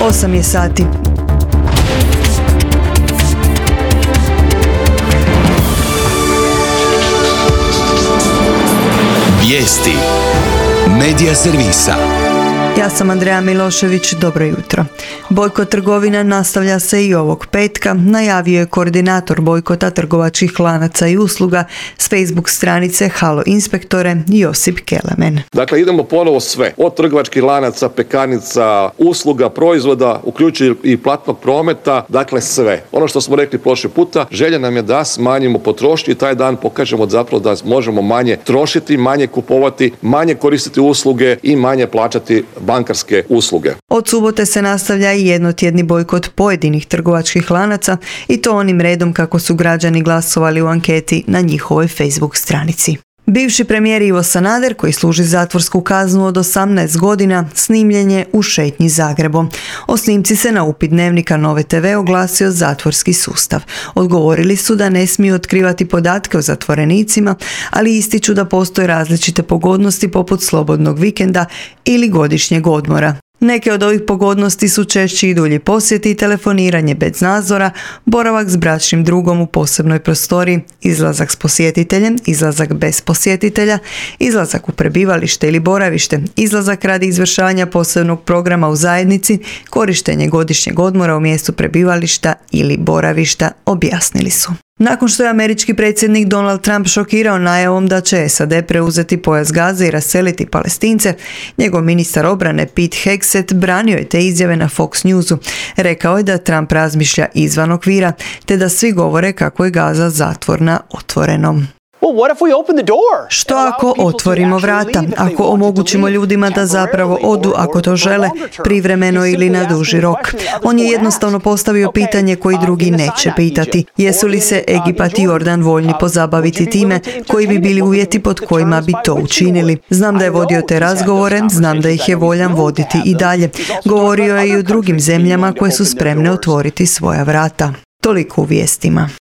8 je sati. Vijesti Medija servisa. Ja sam Andreja Milošević, dobro jutro. Bojkot trgovina nastavlja se i ovog petka, najavio je koordinator bojkota trgovačkih lanaca i usluga s Facebook stranice Halo inspektore Josip Kelemen. Dakle, idemo ponovo sve, od trgovačkih lanaca, pekarnica, usluga, proizvoda, uključujući i platnog prometa, dakle sve. Ono što smo rekli prošli puta, želja nam je da smanjimo potrošnju i taj dan pokažemo zapravo da možemo manje trošiti, manje kupovati, manje koristiti usluge i manje plaćati bankarske usluge. Od subote se nastavlja i jednotjedni bojkot pojedinih trgovačkih lanaca i to onim redom kako su građani glasovali u anketi na njihovoj Facebook stranici. Bivši premijer Ivo Sanader, koji služi zatvorsku kaznu od 18 godina, snimljen je u šetnji Zagrebom. O snimci se na upit Dnevnika Nove TV oglasio zatvorski sustav. Odgovorili su da ne smiju otkrivati podatke o zatvorenicima, ali ističu da postoje različite pogodnosti poput slobodnog vikenda ili godišnjeg odmora. Neke od ovih pogodnosti su češći i dulji posjeti, telefoniranje bez nadzora, boravak s bračnim drugom u posebnoj prostoriji, izlazak s posjetiteljem, izlazak bez posjetitelja, izlazak u prebivalište ili boravište, izlazak radi izvršavanja posebnog programa u zajednici, korištenje godišnjeg odmora u mjestu prebivališta ili boravišta, objasnili su. Nakon što je američki predsjednik Donald Trump šokirao najavom da će SAD preuzeti pojas Gaze i raseliti Palestince, njegov ministar obrane Pete Hegseth branio je te izjave na Fox Newsu. Rekao je da Trump razmišlja izvan okvira, te da svi govore kako je Gaza zatvor na otvorenom. Što ako otvorimo vrata, ako omogućimo ljudima da zapravo odu ako to žele, privremeno ili na duži rok? On je jednostavno postavio pitanje koji drugi neće pitati. Jesu li se Egipat i Jordan voljni pozabaviti time, koji bi bili uvjeti pod kojima bi to učinili? Znam da je vodio te razgovore, znam da ih je voljan voditi i dalje. Govorio je i u drugim zemljama koje su spremne otvoriti svoja vrata. Toliko u vijestima.